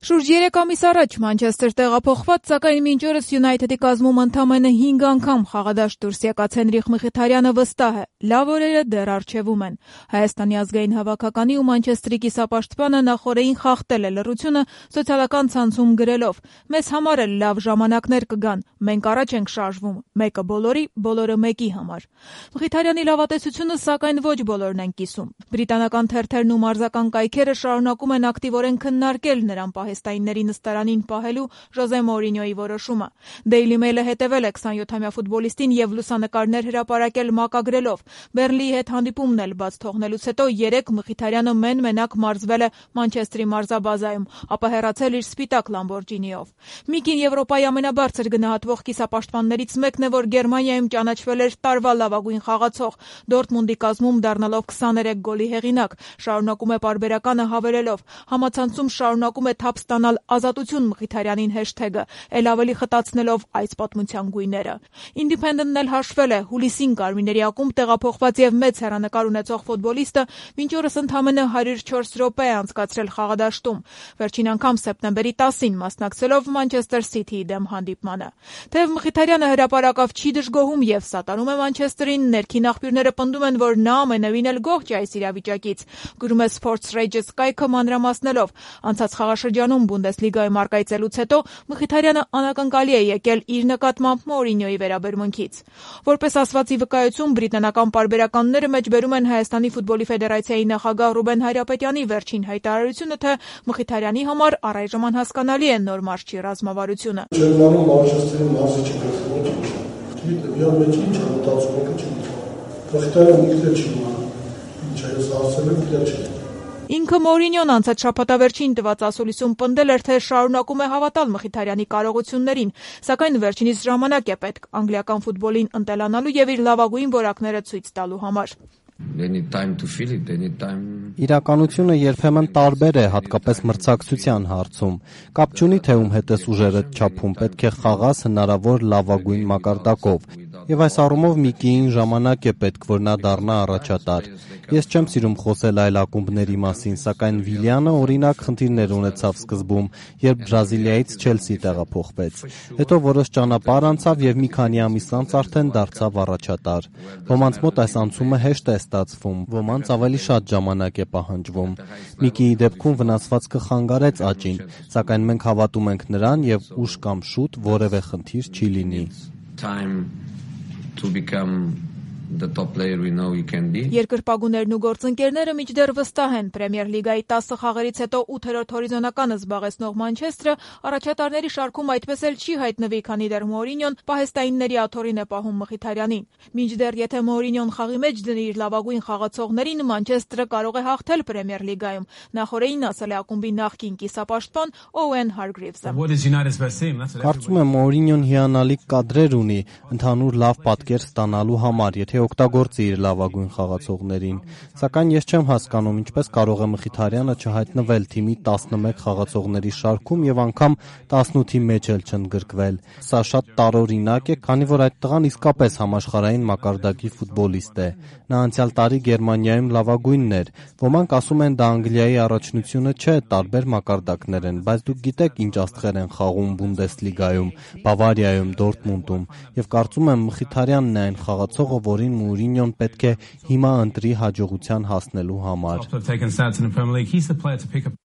Շուրջ 3 ամիս առաջ Մանչեսթեր տեղափոխված, սակայն մինչ օրս Յունայթեդի կազմում ընդամենը 5 անգամ խաղադաշտ դուրս եկած Հենրիխ Մխիթարյանը վստահ է, լավ օրերը դեռ առջևում են։ Հայաստանի ազգային հավաքականի ու Մանչեսթերի կիսապաշտպանը նախօրեին խախտել է լռությունը սոցիալական ցանցում գրելով. «Մեզ համար էլ լավ ժամանակներ կգան, մենք առաջ ենք շարժվում, մեկը բոլորի, բոլորը մեկի համար»։ Մխիթարյանի լավատեսությունը սակայն ոչ բոլորն են կիսում։ Բրիտանական թերթերն ու մարզական կայքերը շարունակում են ակտիվորեն քննարկել նրան պահեստայինների նստարանին պահելու Ժոզե Մորինյոյի որոշումը։ Daily Mail-ը հետևել է 27-ամյա ֆուտբոլիստին եւ լուսանկարներ հրապարակել մակագրելով. «Բեռնլիի հետ հանդիպումն էլ բաց թողնելուց հետո 3 Մխիթարյանը մեն-մենակ մարզվել է Մանչեսթերի մարզաբազայում, ապա հեռացել իր սպիտակ Լամբորջինիով»։ Միկին Եվրոպայի ամենաբարձր գնահատվող կիսապաշտպաններից մեկն է, որ Գերմանիայում ճանաչվել էր տարվա լավագույն խաղացող, Դորտմունդի կազմում դառնալով 23 գոլի հեղինակ։ Շարունակում է պարբերականը հավելելով. «Համացանցում շարունակում է թափ ստանալ ազատություն Մխիթարյանին հեշթեգը, էլ ավելի խտացնելով այս պատմության գույները»։ Independent-ն էլ հաշվել է. հուլիսին Կարմիրների ակումբ տեղափոխված եւ մեծ հեռանկար ունեցող ֆուտբոլիստը մինչ օրս ընդամենը 104 րոպե է անցկացրել խաղադաշտում, վերջին անգամ սեպտեմբերի 10-ին մասնակցելով Մանչեսթեր Սիթիի դեմ հանդիպմանը։ Թեև Մխիթարյանը հրապարակավ չի դժգոհում եւ սատարում է Մանչեսթերին, ներքին աղբյուրները պնդում են, որ նա ամենևին էլ գոհ չէ այս իրավիճակից։ Գրում է Sports Rages կայքը մանրամասնելով. «Անցած խաղաշրջանում Բունդեսլիգայում առկայծելուց հետո Մխիթարյանը անակնկալի է եկել իր նկատմամբ Մորինյոյի վերաբերմունքից»։ Որպես ասվածի վկայություն, բրիտանական պարբերականները մեջբերում են Հայաստանի ֆուտբոլի ֆեդերացիայի նախագահ Ռուբեն Հայրապետյանի վերջին հայտարարությունը, թե Մխիթարյանի համար առայժմ անհասկանալի է նոր մարզչի ռազմավարությունը։ Ջերմանում Մանչեսթերի մարզիչը գտնվում է։ Դիա մեջ ինչ է մտածում եք չի։ Մխիթարյանը ինքն չի իմանում։ Ինչ է ասել եմ դեռ չի։ Ինքը Մորինյոն անցած շաբաթավերջին տված ասուլիսում պնդել էր, թե շարունակում է հավատալ Մխիթարյանի կարողություններին, սակայն վերջինիս ժամանակ է պետք անգլիական ֆուտբոլին ընտելանալու եւ իր լավագույն որակները ցույց տալու համար։ Իրականությունը երբեմն տարբեր է, հատկապես մրցակցության հարցում։ Կապ չունի, թե ում հետ ես ուժերդ չափում, պետք է խաղաս հնարավոր լավագույն մակարդակով։ Եվ այս առումով Միկիին ժամանակ է պետք, որ նա դառնա առաջատար։ Ես չեմ սիրում խոսել այլ ակումբների մասին, սակայն Վիլյանը օրինակ խնդիրներ ունեցավ սկզբում, երբ Բրազիլիայից Չելսի տեղափոխվեց։ Հետո որոշ ճանապարհ անցավ եւ մի քանի ամիս անց արդեն դարձավ առաջատար։ Ոմանց մոտ այս անցումը հեշտ է ստացվում, ոմանց ավելի շատ ժամանակ է պահանջվում։ Միկիի դեպքում վնասվածքը խանգարեց աճին, սակայն մենք հավատում ենք նրան եւ ուշ կամ շուտ որևէ խնդիր չի լինի։ Երկրպագուներն ու գործընկերները մինչդեռ վստահ են, Պրեմիեր լիգայի 10 խաղերից հետո 8-րդ հորիզոնականը զբաղեցնող Մանչեսթերը առաջատարների շարքում այդպես էլ չի հայտնվի, քանի դեռ Մորինյոն պահեստայինների աթոռին է պահում Մխիթարյանին։ Մինչդեռ եթե Մորինյոն խաղի մեջ դնի իր լավագույն խաղացողներին, Մանչեսթերը կարող է հաղթել Պրեմիեր լիգայում, նախօրեին ասել է ակումբի նախկին կիսապաշտպան Օուեն Հարգրիվսը։ Կարծում եմ Մորինյոն հիանալի կադրեր ունի ընդհանուր լավ պատկեր ստանալու համար, եթե օգտագործի իր լավագույն խաղացողներին, սակայն ես չեմ հասկանում ինչպես կարող է Մխիթարյանը չհայտնվել թիմի 11 խաղացողների շարքում եւ անգամ 18-ի մեջ էլ չընդգրկվել։ Սա շատ տարօրինակ է, քանի որ այդ տղան իսկապես համաշխարհային մակարդակի ֆուտբոլիստ է։ Նա անցյալ տարի Գերմանիայում լավագույնն էր։ Ոմանք ասում են դա Անգլիայի առաջնությունը չէ, տարբեր մակարդակներ են, բայց դուք գիտեք ինչ աստղեր են խաղում Բունդեսլիգայում, Բավարիայում, Դորտմունդում, եւ կարծում եմ Մխիթարյանն է այն խաղացողը, որին Մորինյոն պետք է հիմա ընտրի հաջողության հասնելու համար։